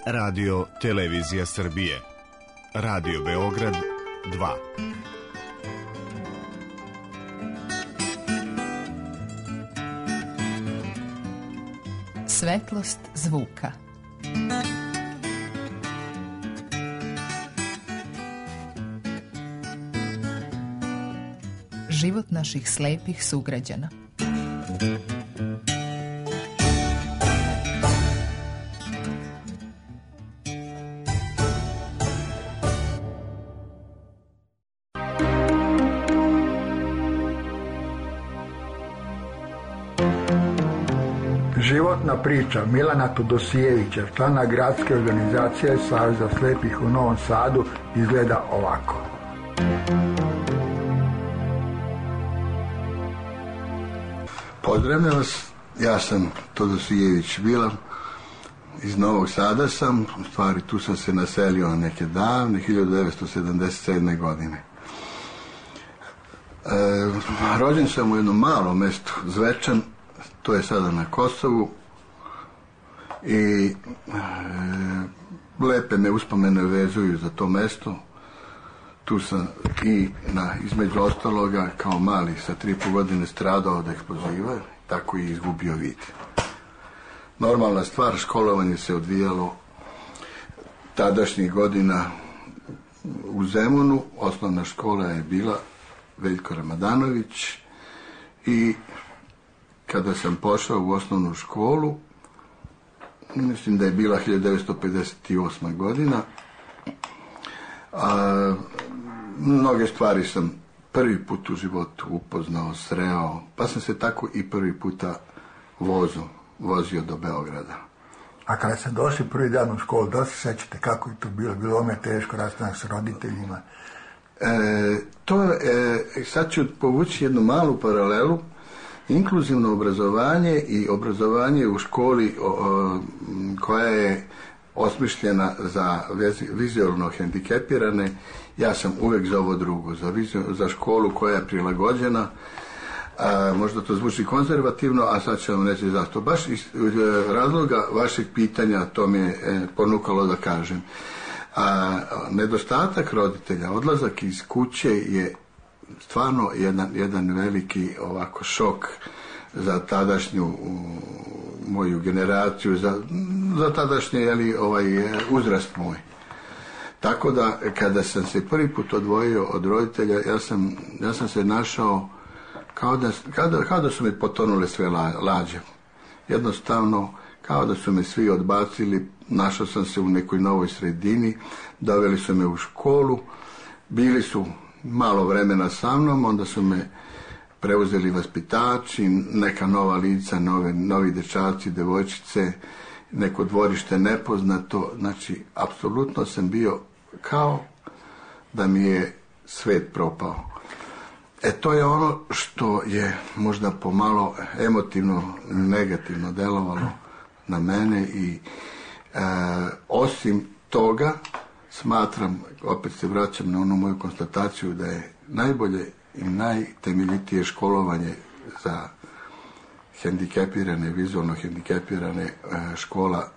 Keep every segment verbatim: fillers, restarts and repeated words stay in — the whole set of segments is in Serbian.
Radio Televizija Srbije. Radio Beograd dva. Svetlost zvuka. Život naših slepih sugrađana. Životna priča Milana Tudosijevića, člana gradske organizacije Saveza slepih u Novom Sadu, izgleda ovako. Pozdravljam vas, ja sam Tudosijević Milan, iz Novog Sada sam, u stvari tu sam se naselio neke davne, hiljadu devetsto sedamdeset sedme. godine. E, rođen sam u jednom malom mestu, Zvečan, to je sada na Kosovu, i e, lepe me uspomene vezuju za to mesto. Tu sam i na, između ostaloga kao mali sa tri i po godine stradao od eksploziva, tako i izgubio vid. Normalna stvar, školovanje se odvijalo tadašnjih godina u Zemunu. Osnovna škola je bila Veljko Ramadanović i kada sam pošao u osnovnu školu, mislim da je bila hiljadu devetsto pedeset osma. godina, a, mnoge stvari sam prvi put u životu upoznao, sreo, pa sam se tako i prvi puta vozio, vozio do Beograda. A kada ste došli prvi dan u školu, da se sećate kako je to bilo? Bilo vam je teško rastanak s roditeljima? E, to, e, sad ću povući jednu malu paralelu. Inkluzivno obrazovanje i obrazovanje u školi o, o, koja je osmišljena za vizualno hendikepirane, ja sam uvek za ovo drugo, za, vizio, za školu koja je prilagođena. A, možda to zvuči konzervativno, a sad ću vam reći zašto. Baš iz razloga vašeg pitanja to mi je e, ponukalo da kažem. A, nedostatak roditelja, odlazak iz kuće je stvarno jedan, jedan veliki ovako šok za tadašnju u, moju generaciju, za, za tadašnji jeli, ovaj, uzrast moj. Tako da kada sam se prvi put odvojio od roditelja, ja sam, ja sam se našao kao da, kao da, kao da su mi potonule sve la, lađe. Jednostavno, kao da su me svi odbacili, našao sam se u nekoj novoj sredini, doveli su me u školu, bili su malo vremena sa mnom, onda su me preuzeli vaspitači, neka nova lica, nove, novi dečaci, devojčice, neko dvorište nepoznato. Znači, apsolutno sam bio kao da mi je svet propao. E, to je ono što je možda pomalo emotivno, negativno delovalo na mene i e, osim toga, smatram, opet se vraćam na onu moju konstataciju, da je najbolje i najtemeljitije školovanje za hendikepirane, vizualno hendikepirane škola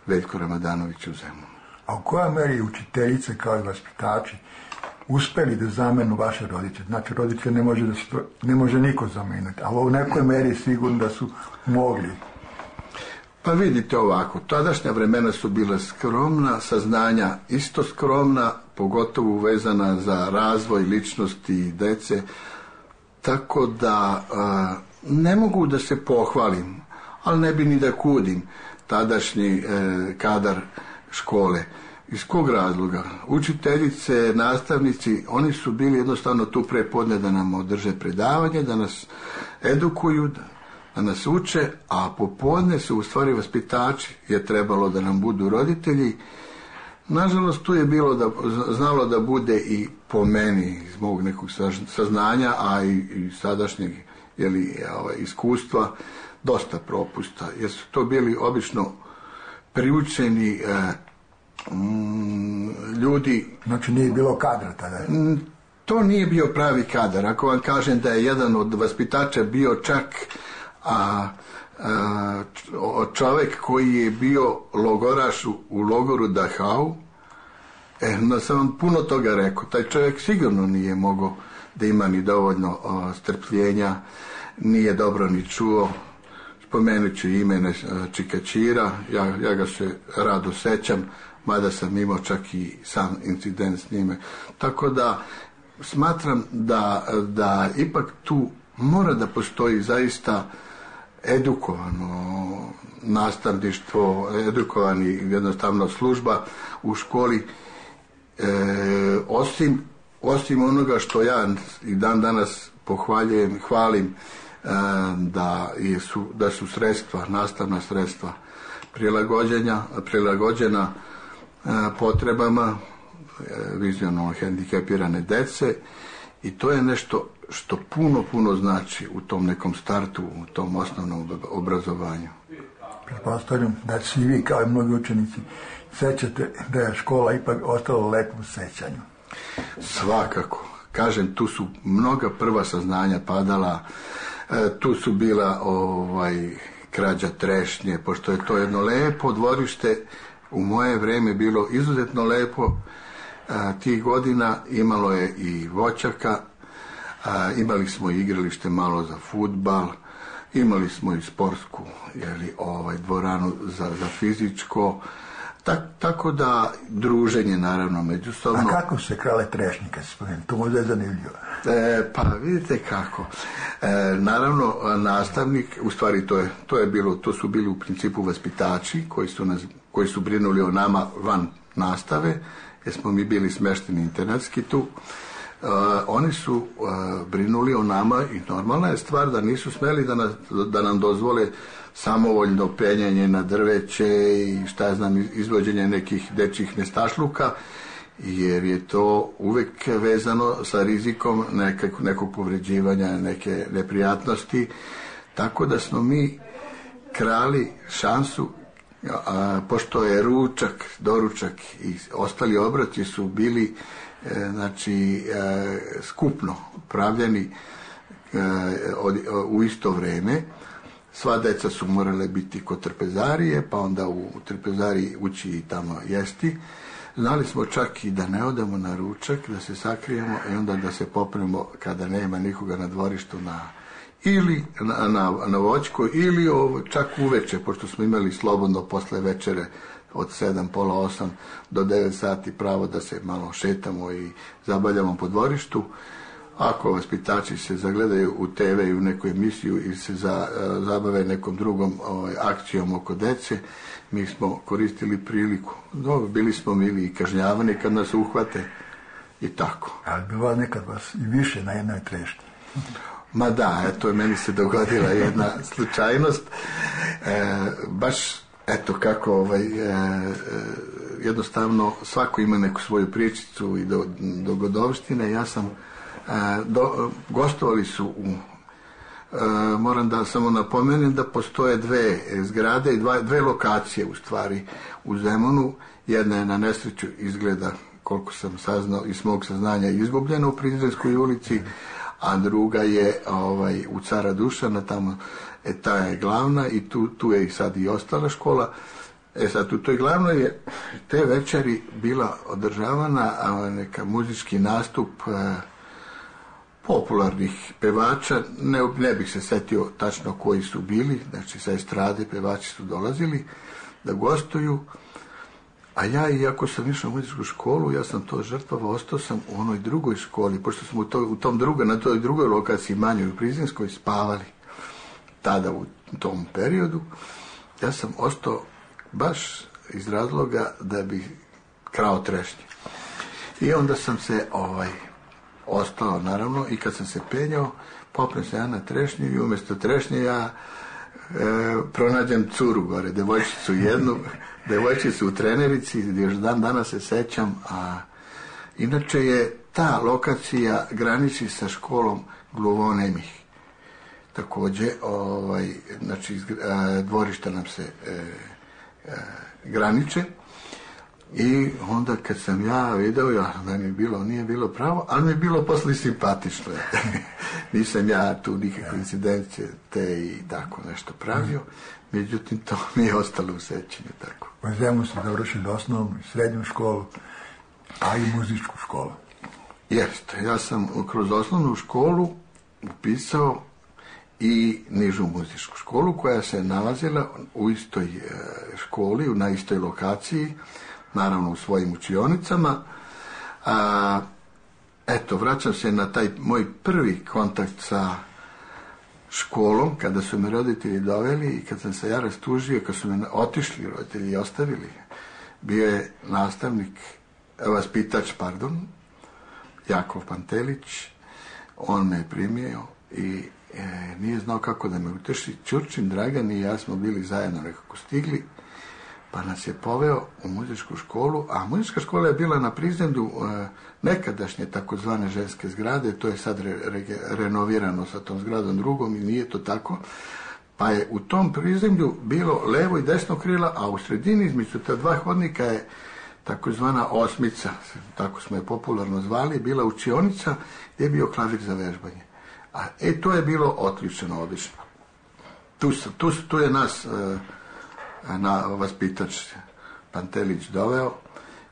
Veljko Ramadanović u Zemunu. A u kojoj meri učiteljice kao i vaspitači uspeli da zamenu vaše roditelje? Znači, roditelje ne može, da se, ne može niko zameniti, ali u nekoj meri sigurno da su mogli. Pa vidite ovako, tadašnja vremena su bila skromna, saznanja isto skromna, pogotovo vezana za razvoj ličnosti i dece, tako da a, ne mogu da se pohvalim, ali ne bi ni da kudim tadašnji e, kadar škole. Iz kog razloga? Učiteljice, nastavnici, oni su bili jednostavno tu prepodne da nam održe predavanje, da nas edukuju, da da nas uče, a popodne su u stvari vaspitači, je trebalo da nam budu roditelji. Nažalost, tu je bilo da, znalo da bude i po meni, iz mog nekog saznanja, a i, i sadašnjeg jeli, ovaj, iskustva, dosta propusta, jer su to bili obično priučeni eh, mm, ljudi. Znači nije bilo kadra tada? To nije bio pravi kadar. Ako vam kažem da je jedan od vaspitača bio čak a čovjek koji je bio logoraš u logoru Dachau. E, no sam vam puno toga rekao. Taj čovjek sigurno nije mogao da ima ni dovoljno o, strpljenja, nije dobro ni čuo. Spomenut ću ime Čikačira, ja, ja ga se rado sećam, mada sam imao čak i sam incident s njime. Tako da smatram da, da ipak tu mora da postoji zaista edukovano nastavništvo, edukovani jednostavno služba u školi, e, osim, osim onoga što ja i dan danas pohvaljujem, hvalim, e, da, su, da su sredstva, nastavna sredstva prilagođenja, prilagođena e, potrebama e, vizionalno hendikepirane dece, i to je nešto što puno, puno znači u tom nekom startu, u tom osnovnom obrazovanju. Pretpostavljam da svi vi, kao i mnogi učenici, sećate da je škola ipak ostala lepo u sećanju. Svakako. Kažem, tu su mnoga prva saznanja padala, e, tu su bila ovaj, krađa trešnje, pošto je to jedno lepo dvorište, u moje vrijeme bilo izuzetno lepo. E, tih godina imalo je i voćaka, a, imali smo igralište malo za fudbal, imali smo i sportsku, jeli, ovaj, dvoranu za, za fizičko, tak, tako da druženje naravno međusobno. A kako se krale trešnje, kad se spomenuo? To možda je zanimljivo. E, pa vidite kako. E, naravno, nastavnik, u stvari to je, to je bilo, to su bili u principu vaspitači koji su, nas, koji su brinuli o nama van nastave, jer smo mi bili smešteni internatski tu. Uh, oni su uh, brinuli o nama i normalna je stvar da nisu smeli da, nas, da nam dozvole samovoljno penjanje na drveće i šta ja znam, izvođenje nekih dečjih nestašluka, jer je to uvek vezano sa rizikom nekog, nekog povređivanja, neke neprijatnosti, tako da smo mi krali šansu, a, pošto je ručak, doručak i ostali obroci su bili e, znači e, skupno pravljeni e, od, u isto vrijeme. Sva deca su morale biti kod trpezarije, pa onda u trpezariji ući i tamo jesti. Znali smo čak i da ne odemo na ručak, da se sakrijemo i onda da se popnemo kada nema nikoga na dvorištu na ili na, na, na voćku, ili ovo, čak uveče, pošto smo imali slobodno posle večere od sedam, pola osam do devet sati pravo da se malo šetamo i zabavljamo po dvorištu. Ako vaspitači se zagledaju u te ve i u neku emisiju ili se za, zabave nekom drugom ovaj, akcijom oko dece, mi smo koristili priliku. Dobro, bili smo mili i kažnjavani kad nas uhvate i tako. Ali bilo nekad vas i više na jednoj trešnji. Ma da, eto, meni se dogodila jedna slučajnost. E, baš, eto, kako, ovaj, e, jednostavno, svako ima neku svoju pričicu i do, dogodovštine. Ja sam, e, do, gostovali su u, e, moram da samo napomenem da postoje dve zgrade i dva, dve lokacije, u stvari, u Zemunu. Jedna je na nesreću izgleda, koliko sam saznao, iz mog saznanja izgubljena u Prizrenskoj ulici, a druga je ovaj, u Cara Dušana, tamo e, ta je glavna i tu, tu je i sad i ostala škola. E sad, u toj glavnoj je te večeri bila održavana a, neka muzički nastup a, popularnih pevača, ne, ne bih se setio tačno koji su bili, znači sa estrade pevači su dolazili da gostuju. A ja, iako sam išao u muzičku školu, ja sam to žrtvovao, ostao sam u onoj drugoj školi, pošto smo u, to, u tom drugoj, na toj drugoj lokaciji, manjoj u Prizrenskoj, spavali tada u tom periodu. Ja sam ostao baš iz razloga da bi krao trešnje. I onda sam se ovaj, ostao, naravno, i kad sam se penjao, popnem se ja na trešnju i umjesto trešnje ja e, pronađem curu gore, devojčicu jednu, devojčicu u trenerici, gdje još dan danas se sećam, a inače je ta lokacija graniči sa školom gluvonemih. Također, ovaj, znači, dvorišta nam se e, e, graniče i onda kad sam ja video, ja, da mi je bilo, nije bilo pravo, ali mi je bilo posle simpatično. nisam ja tu nikakve incidencije te i tako nešto pravio, međutim to mi je ostalo u sećanju tako. U Zemunu ste završili osnovnu i srednju školu, a i muzičku školu. Jeste, ja sam kroz osnovnu školu upisao i nižu muzičku školu koja se nalazila u istoj školi, na istoj lokaciji, naravno u svojim učionicama. A, eto, vraćam se na taj moj prvi kontakt sa školom, kada su me roditelji doveli i kad sam se ja rastužio, kad su me otišli roditelji i ostavili, bio je nastavnik, vaspitač, pardon, Jakov Pantelić, on me je primio i e, nije znao kako da me uteši. Ćurčin Dragan i ja smo bili zajedno nekako stigli, pa nas je poveo u muzičku školu, a muzička škola je bila na prizemlju e, nekadašnje takozvane ženske zgrade, to je sad re, re, renovirano sa tom zgradom drugom i nije to tako, pa je u tom prizemlju bilo levo i desno krila, a u sredini između ta dva hodnika je takozvana osmica, tako smo je popularno zvali, bila učionica gdje je bio klavir za vežbanje. A e, to je bilo otključeno, odlično. Tu, tu, tu je nas e, na vaspitač Pantelić doveo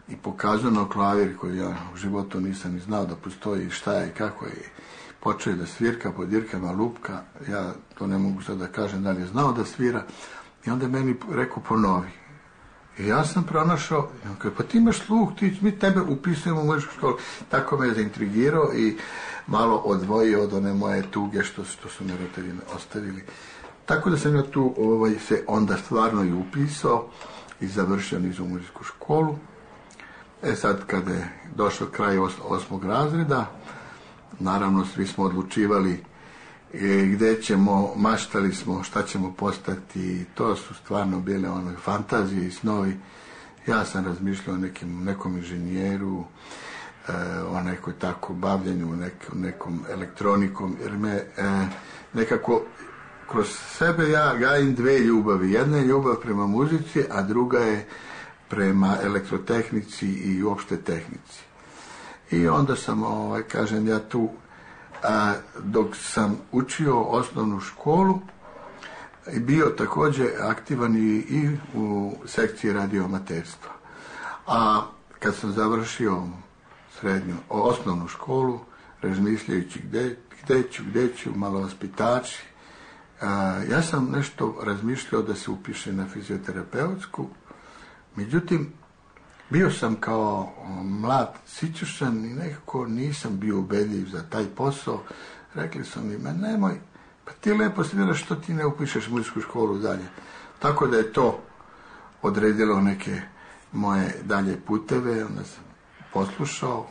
i pokazao na klavir koji ja u životu nisam ni znao da postoji, šta je i kako je. Počeo je da svirka po dirkama lupka, ja to ne mogu sad da kažem da li je znao da svira, i onda je meni rekao ponovi. I ja sam pronašao, pa ti imaš sluh, ti, mi tebe upisujemo u muzičku školu. Tako me je zaintrigirao i malo odvojio od one moje tuge što, što su me roditelji ostavili. Tako da sam ja tu ovaj, se onda stvarno i upisao i završio nižu muzičku školu. E sad, kada je došao kraj os, osmog razreda, naravno svi smo odlučivali e, gdje ćemo, maštali smo šta ćemo postati, to su stvarno bile one fantazije i snovi. Ja sam razmišljao o nekim, nekom inženjeru, e, o nekoj tako bavljenju, nek, nekom elektronikom, jer me e, nekako kroz sebe ja gajim dve ljubavi. Jedna je ljubav prema muzici, a druga je prema elektrotehnici i uopšte tehnici. I onda sam, ovaj, kažem ja tu, a, dok sam učio osnovnu školu, i bio također aktivan i, i u sekciji radioamaterstva. A kad sam završio srednju, osnovnu školu, razmišljajući gdje, gdje ću, gdje ću, malo vaspitači, a, ja sam nešto razmišljao da se upiše na fizioterapeutsku, međutim, bio sam kao mlad sićušan i nekako nisam bio ubedljiv za taj posao. Rekli su mi, ma nemoj, pa ti lepo sviraš, što ti ne upišeš muzičku školu dalje. Tako da je to odredilo neke moje dalje puteve, onda sam poslušao,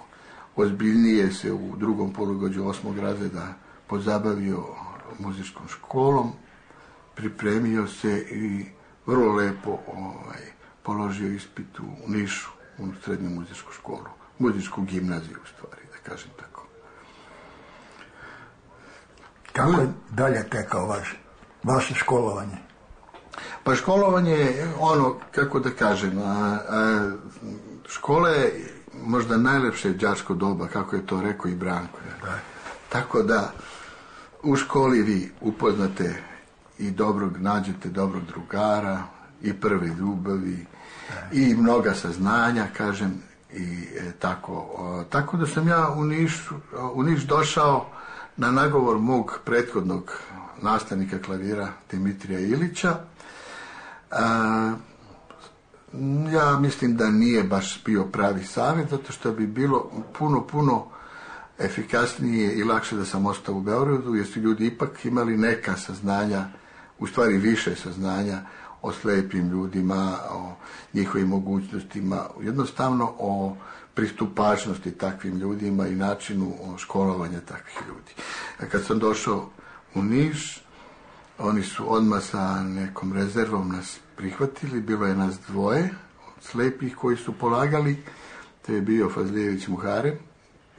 ozbiljnije se u drugom polugodištu osmog razreda pozabavio muzičkom školom, pripremio se i vrlo lepo ovaj, položio ispit u Nišu, u srednju muzičku školu, muzičku gimnaziju u stvari, da kažem tako. Kako je dalje tekao vaš, vaše školovanje? Pa školovanje je ono, kako da kažem, a, a, škola je možda najlepše đačko doba, kako je to rekao i Branko. Da. Tako da u školi vi upoznate i dobrog, nađete dobrog drugara, i prve ljubavi, i mnoga saznanja, kažem, i e, tako. O, tako da sam ja u Niš, u Niš došao na nagovor mog prethodnog nastavnika klavira Dimitrija Ilića. A, ja mislim da nije baš bio pravi savjet, zato što bi bilo puno, puno efikasnije i lakše da sam ostao u Beogradu, jer su ljudi ipak imali neka saznanja, u stvari više saznanja o slepim ljudima, o njihovim mogućnostima, jednostavno o pristupačnosti takvim ljudima i načinu školovanja takvih ljudi. A kad sam došao u Niš, oni su odmah sa nekom rezervom nas prihvatili, bilo je nas dvoje slepih koji su polagali, to je bio Fazlijević Muharem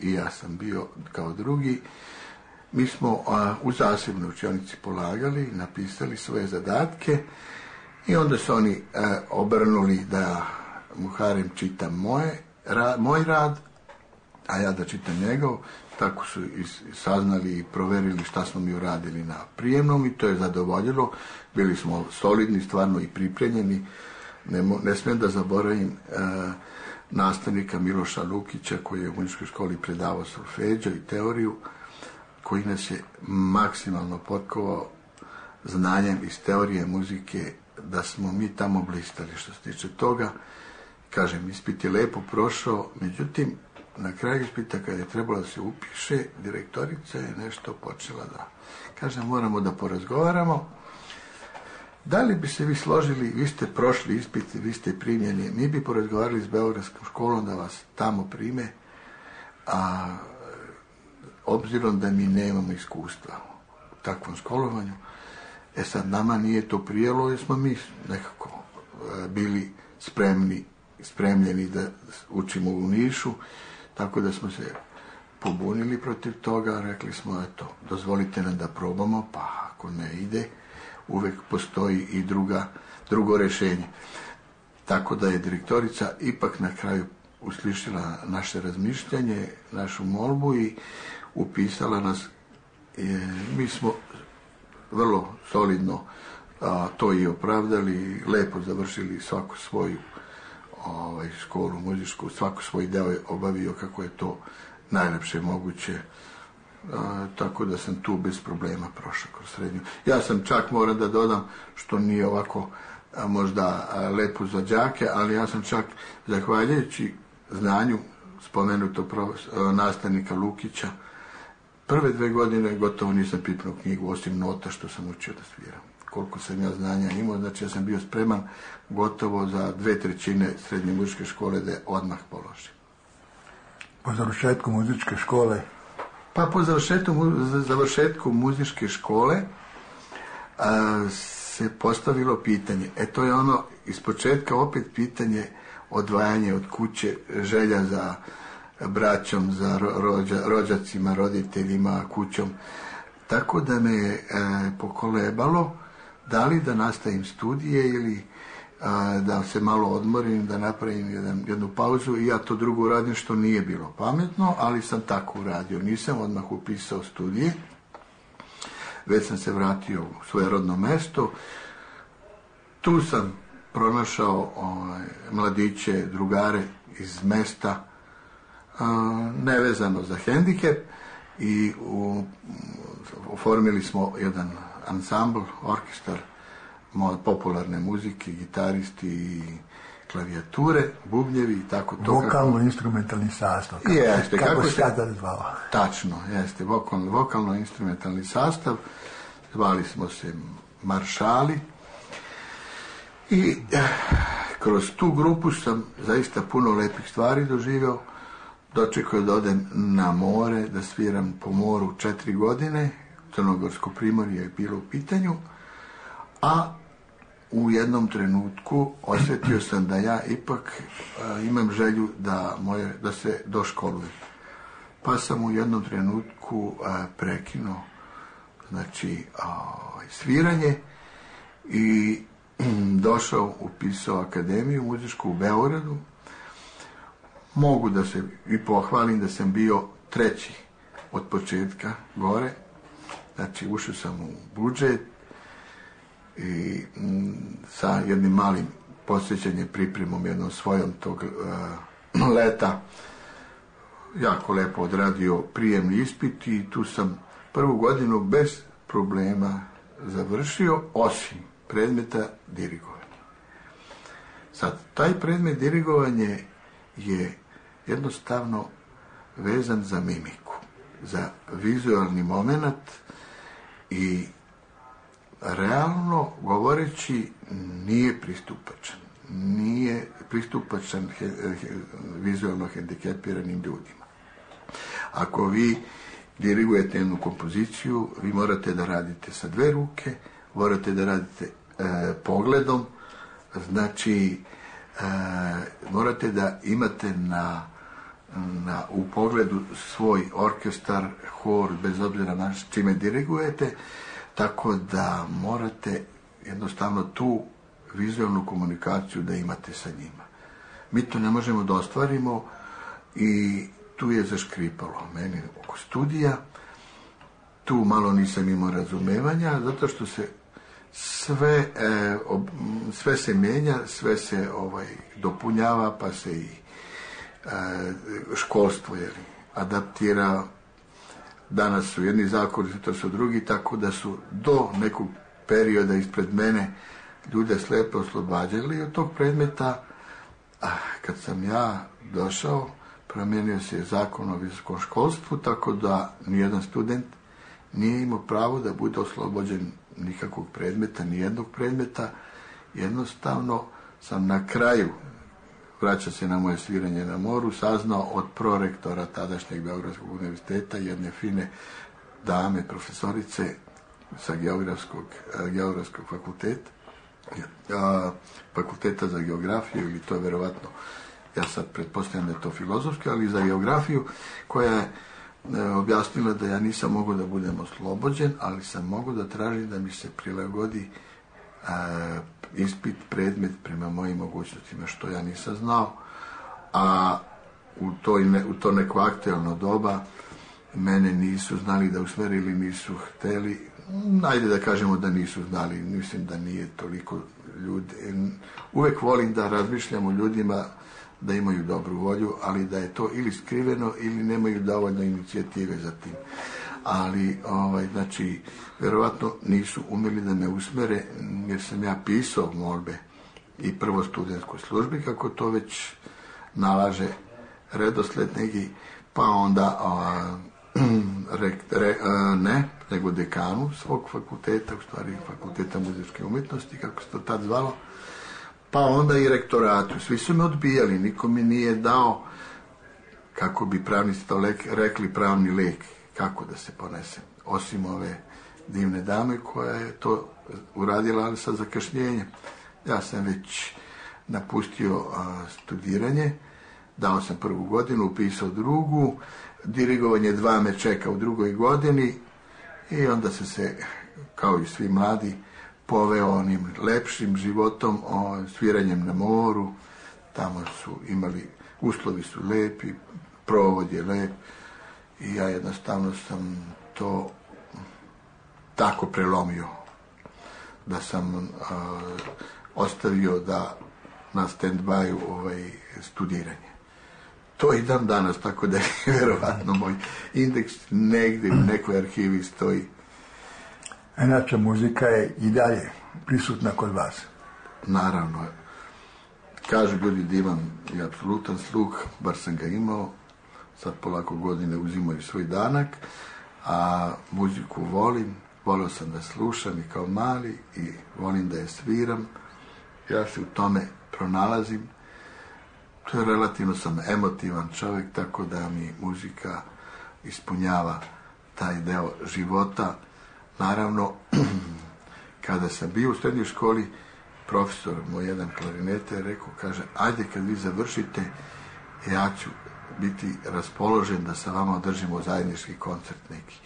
i ja sam bio kao drugi. Mi smo a, u zasebnoj učionici polagali, napisali svoje zadatke i onda su oni a, obrnuli da Muharem čita moje, ra, moj rad, a ja da čitam njegov. Tako su i saznali i proverili šta smo mi uradili na prijemnom i to je zadovoljilo. Bili smo solidni, stvarno i pripremljeni. Ne, ne smijem da zaboravim e, nastavnika Miloša Lukića koji je u muzičkoj školi predavao solfeđo i teoriju, koji nas je maksimalno potkovao znanjem iz teorije muzike, da smo mi tamo blistali što se tiče toga. Kažem, ispit je lepo prošao, međutim, na kraju ispita kada je trebalo da se upiše, direktorica je nešto počela da kaže, moramo da porazgovaramo. Da li bi se vi složili, vi ste prošli ispit, vi ste primljeni, mi bi porazgovarali s Beogradskom školom da vas tamo prime, a obzirom da mi nemamo iskustva u takvom školovanju, e sad nama nije to prijelo jer smo mi nekako bili spremni, spremljeni da učimo u Nišu, tako da smo se pobunili protiv toga, rekli smo, eto, dozvolite nam da probamo, pa ako ne ide, uvek postoji i druga, drugo rješenje. Tako da je direktorica ipak na kraju uslišila naše razmišljanje, našu molbu i upisala nas. E, mi smo vrlo solidno a, to i opravdali, lepo završili svaku svoju ovaj, školu muzičku, svako svoj deo je obavio kako je to najlepše moguće. A, tako da sam tu bez problema prošao kroz srednju. Ja sam čak, moram da dodam, što nije ovako a, možda a, lepo za đake, ali ja sam čak, zahvaljujući znanju spomenutog nastavnika Lukića, prve dve godine gotovo nisam pipnuo knjigu, osim nota što sam učio da sviram. Koliko sam ja znanja imao, znači ja sam bio spreman gotovo za dve trećine srednje muzičke škole da je odmah položim. Po završetku muzičke škole? Pa po završetku, završetku muzičke škole a, se postavilo pitanje. E to je ono, iz početka opet pitanje odvajanje od kuće, želja za braćom, za rođa, rođacima, roditeljima, kućom. Tako da me je e, pokolebalo da li da nastavim studije ili a, da se malo odmorim, da napravim jedan, jednu pauzu i ja to drugo radim što nije bilo pametno, ali sam tako uradio. Nisam odmah upisao studije, već sam se vratio u svoje rodno mesto. Tu sam pronašao ovaj, mladiće, drugare iz mesta, a, nevezano za hendikep i u, oformili smo jedan ansambl, orkestar popularne muzike, gitaristi i klavijature, bubnjevi i tako to. Vokalno-instrumentalni sastav. Kako, jeste, kako, kako se sada zvao? Tačno, jeste, vokalno, vokalno-instrumentalni sastav. Zvali smo se Maršali. I eh, kroz tu grupu sam zaista puno lepih stvari doživio. Dočekao da odem na more, da sviram po moru četiri godine. Crnogorsko primorje je bilo u pitanju. A u jednom trenutku osjetio sam da ja ipak a, imam želju da, moje, da se doškolujem. Pa sam u jednom trenutku a, prekinuo znači, a, sviranje i došao, upisao akademiju muzičku u Beogradu. Mogu da se i pohvalim da sam bio treći od početka gore. Znači, ušao sam u budžet i m, sa jednim malim posvećanjem, pripremom, jednom svojom tog uh, leta, jako lepo odradio prijemni ispit i tu sam prvu godinu bez problema završio, osim predmeta dirigovanja. Sad, taj predmet dirigovanje je jednostavno vezan za mimiku, za vizualni moment i realno govoreći nije pristupačan. Nije pristupačan he, he, vizualno hendikepiranim ljudima. Ako vi dirigujete jednu kompoziciju, vi morate da radite sa dve ruke, morate da radite e, pogledom, znači e, morate da imate na, na, u pogledu svoj orkestar, hor, bez obzira na čime dirigujete, tako da morate jednostavno tu vizualnu komunikaciju da imate sa njima. Mi to ne možemo da ostvarimo i tu je zaškripalo meni oko studija. Tu malo nisam imao razumevanja, zato što se sve, e, ob, sve se mijenja, sve se ovaj, dopunjava, pa se i e, školstvo je adaptira. Danas su jedni zakoni, to su drugi, tako da su do nekog perioda ispred mene ljude slepo oslobađali od tog predmeta. A kad sam ja došao, promijenio se zakon o visokom školstvu, tako da nijedan student nije imao pravo da bude oslobođen nikakvog predmeta, nijednog predmeta. Jednostavno sam na kraju, vraća se na moje sviranje na moru, saznao od prorektora tadašnjeg Beogradskog univerziteta, jedne fine dame, profesorice sa geografskog, geografskog fakulteta, fakulteta za geografiju, ili to je verovatno, ja sad pretpostavljam da je to filozofski, ali za geografiju, koja je objasnila da ja nisam mogao da budem oslobođen, ali sam mogao da tražim da mi se prilagodi a, ispit, predmet prema mojim mogućnostima, što ja nisam znao. A u, toj ne, u to neko aktualno doba mene nisu znali da usmeri ili nisu hteli. Ajde da kažemo da nisu znali, mislim da nije toliko ljudi. Uvek volim da razmišljam o ljudima da imaju dobru volju, ali da je to ili skriveno ili nemaju dovoljno inicijative za tim. Ali, ovaj, znači, verovatno nisu umeli da me usmere, jer sam ja pisao molbe i prvo studentskoj službi, kako to već nalaže redosled neki, pa onda a, re, re, a, ne, nego dekanu svog fakulteta, u stvari fakulteta muzičke umjetnosti, kako se to tad zvalo, pa onda i rektoratu. Svi su me odbijali, niko mi nije dao, kako bi pravnici to lek, rekli, pravni lek, kako da se ponesem, osim ove divne dame koja je to uradila, ali sa zakašnjenjem. Ja sam već napustio a, studiranje, dao sam prvu godinu, upisao drugu, dirigovanje dva me čeka u drugoj godini i onda sam se, kao i svi mladi, poveo onim lepšim životom, o, sviranjem na moru. Tamo su imali, uslovi su lepi, provod je lep i ja jednostavno sam to tako prelomio da sam a, ostavio da na stand-by ovaj, studiranje. To i dan danas, tako da je vjerovatno moj indeks negdje u nekoj arhivi stoji. Inače, muzika je i dalje prisutna kod vas. Naravno. Kažu ljudi da imam i apsolutan sluh, bar sam ga imao, sad polako godine uzimaju svoj danak, a muziku volim, volio sam da slušam i kao mali i volim da je sviram. Ja se u tome pronalazim. To je relativno sam emotivan čovjek, tako da mi muzika ispunjava taj deo života. Naravno, kada sam bio u srednjoj školi, profesor moj jedan klarinete je rekao, kaže, ajde kad vi završite, ja ću biti raspoložen da sa vama održimo zajednički koncert neki.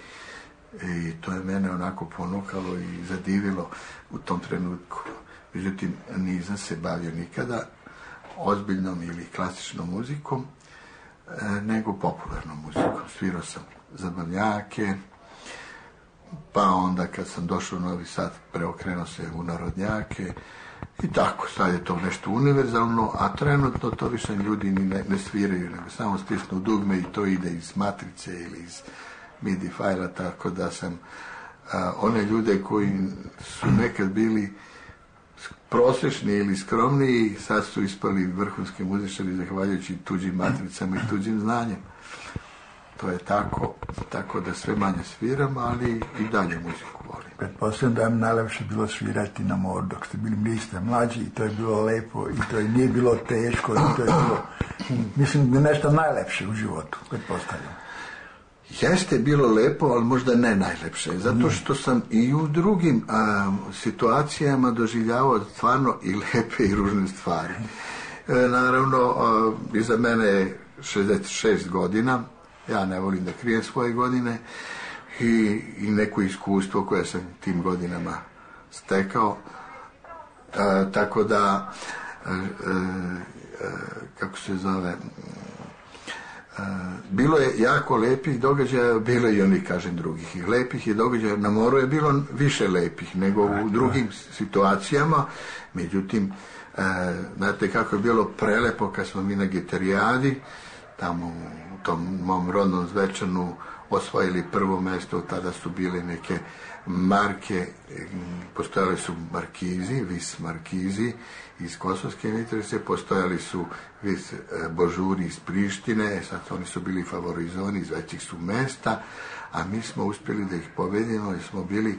I to je mene onako ponukalo i zadivilo u tom trenutku. Međutim, nisam se bavio nikada ozbiljnom ili klasičnom muzikom, nego popularnom muzikom. Svirao sam zabavnjake, pa onda kad sam došao u Novi Sad, preokrenuo se u narodnjake i tako, sad je to nešto univerzalno, a trenutno to više ljudi ni ne, ne sviraju, nego samo stisnu dugme i to ide iz matrice ili iz midi fajla, tako da sam a, one ljude koji su nekad bili prosječni ili skromniji, sad su ispali vrhunski muzičari zahvaljujući tuđim matricama i tuđim znanjem. To je tako, tako da sve manje sviram, ali i dalje muziku volim. Pretpostavljam da vam najlepše bilo svirati na moru dok ste bili, bili ste mlađi i to je bilo lepo i to je, nije bilo teško i to je bilo, mislim, da nešto najlepše u životu, pretpostavljam. Jeste bilo lepo, ali možda ne najlepše, zato što sam i u drugim a, situacijama doživljavao stvarno i lepe i ružne stvari. E, naravno, a, iza mene je šezdeset šest godina, ja ne volim da krijem svoje godine i, i neko iskustvo koje sam tim godinama stekao, a, tako da, a, a, a, kako se zove, bilo je jako lepih događaja, bilo je i onih, kažem, drugih. I lepih je događaja, na moru je bilo više lepih nego u drugim situacijama. Međutim, e, znate kako je bilo prelepo kad smo mi na Gitarijadi, tamo u tom mom rodnom Zvečanu, osvojili prvo mjesto. Tada su bile neke marke, postojali su markizi, vis markizi iz Kosovske Mitrovice, postojali su vis božuri iz Prištine, sad oni su bili favorizovani iz većih su mesta, a mi smo uspjeli da ih pobedimo, jer smo bili,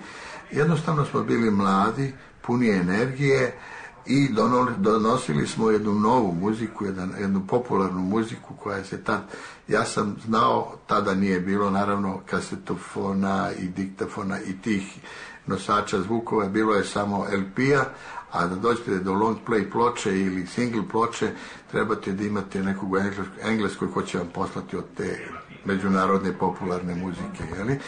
jednostavno smo bili mladi, puni energije, i donosili smo jednu novu muziku, jedan, jednu popularnu muziku koja se tad, ja sam znao, tada nije bilo naravno kasetofona i diktafona i tih nosača zvukova, bilo je samo el pe-a, a da dođete do long play ploče ili single ploče, trebate da imate nekog u Engleskoj ko će vam poslati od te međunarodne popularne muzike, jeli?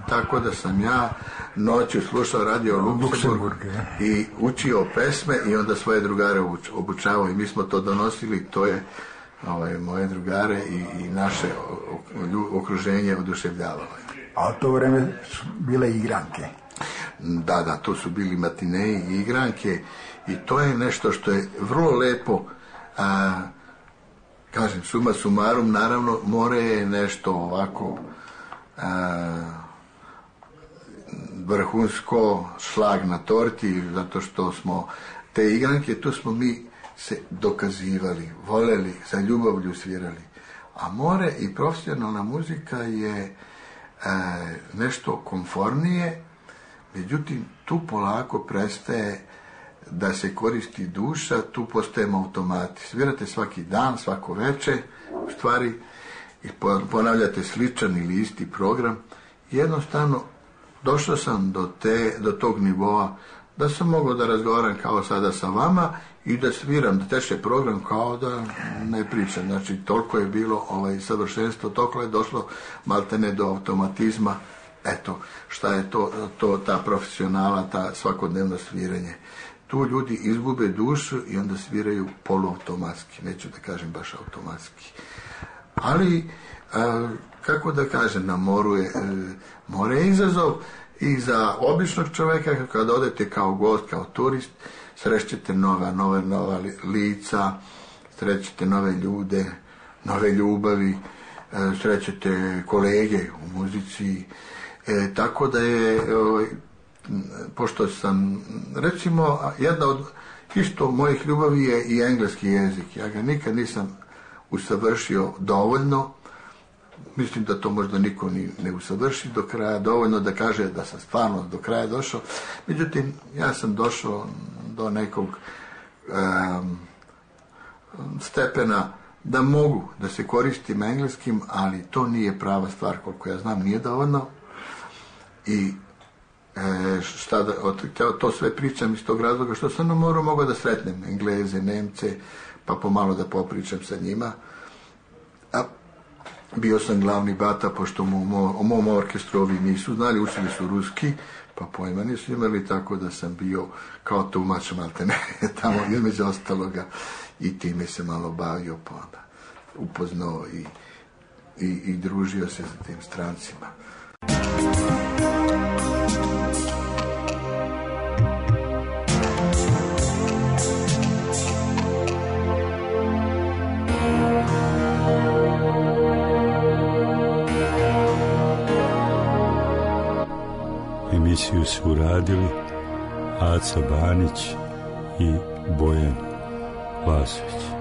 Tako da sam ja noću slušao radio Luksemburg i učio pesme i onda svoje drugare obučavao i mi smo to donosili, to je ovaj, moje drugare i, i naše okruženje oduševljavalo. A u to vreme su bile igranke. Da, da, to su bili matineji i igranke i to je nešto što je vrlo lepo. A, kažem, suma sumarum, naravno, more je nešto ovako a, vrhunsko, šlag na torti, zato što smo te igranke, tu smo mi se dokazivali, voleli, za ljubavlju svirali. A more i profesionalna muzika je a, nešto konformnije, međutim, tu polako prestaje da se koristi duša, tu postajemo automati. Svirate svaki dan, svako veče, u stvari, i ponavljate sličan ili isti program. Jednostavno, došao sam do, te, do tog nivoa da sam mogao da razgovaram kao sada sa vama i da sviram, da teče program kao da ne pričam. Znači, toliko je bilo ovaj, savršenstvo, toliko je došlo maltene do automatizma. Eto, šta je to, to ta profesionalna, ta svakodnevno sviranje. Tu ljudi izgube dušu i onda sviraju poluautomatski, neću da kažem baš automatski. Ali, a, kako da kažem, na moru je, e, more je izazov i za običnog čoveka, kada odete kao gost, kao turist, srećete nova, nova, nova lica, srećete nove ljude, nove ljubavi, e, srećete kolege u muzici, e, tako da je... E, pošto sam, recimo, jedna od isto mojih ljubavi je i engleski jezik. Ja ga nikad nisam usavršio dovoljno. Mislim da to možda niko ni ne usavrši do kraja, dovoljno da kaže da sam stvarno do kraja došao. Međutim, ja sam došao do nekog um, stepena da mogu da se koristim engleskim, ali to nije prava stvar, koliko ja znam, nije dovoljno. I E, šta da, to, to sve pričam iz tog razloga što sam na moru mogao da sretnem Engleze, Nemce, pa pomalo da popričam sa njima. A bio sam glavni bata, pošto u mom, mom orkestru ovi nisu znali, učili su ruski, pa pojma nisu imali, tako da sam bio kao tumač maltene tamo između ostaloga i time se malo bavio, pa onda upoznao i, i, i družio se sa tim strancima. Emisiju su uradili Aca Banić i Bojan Lasović.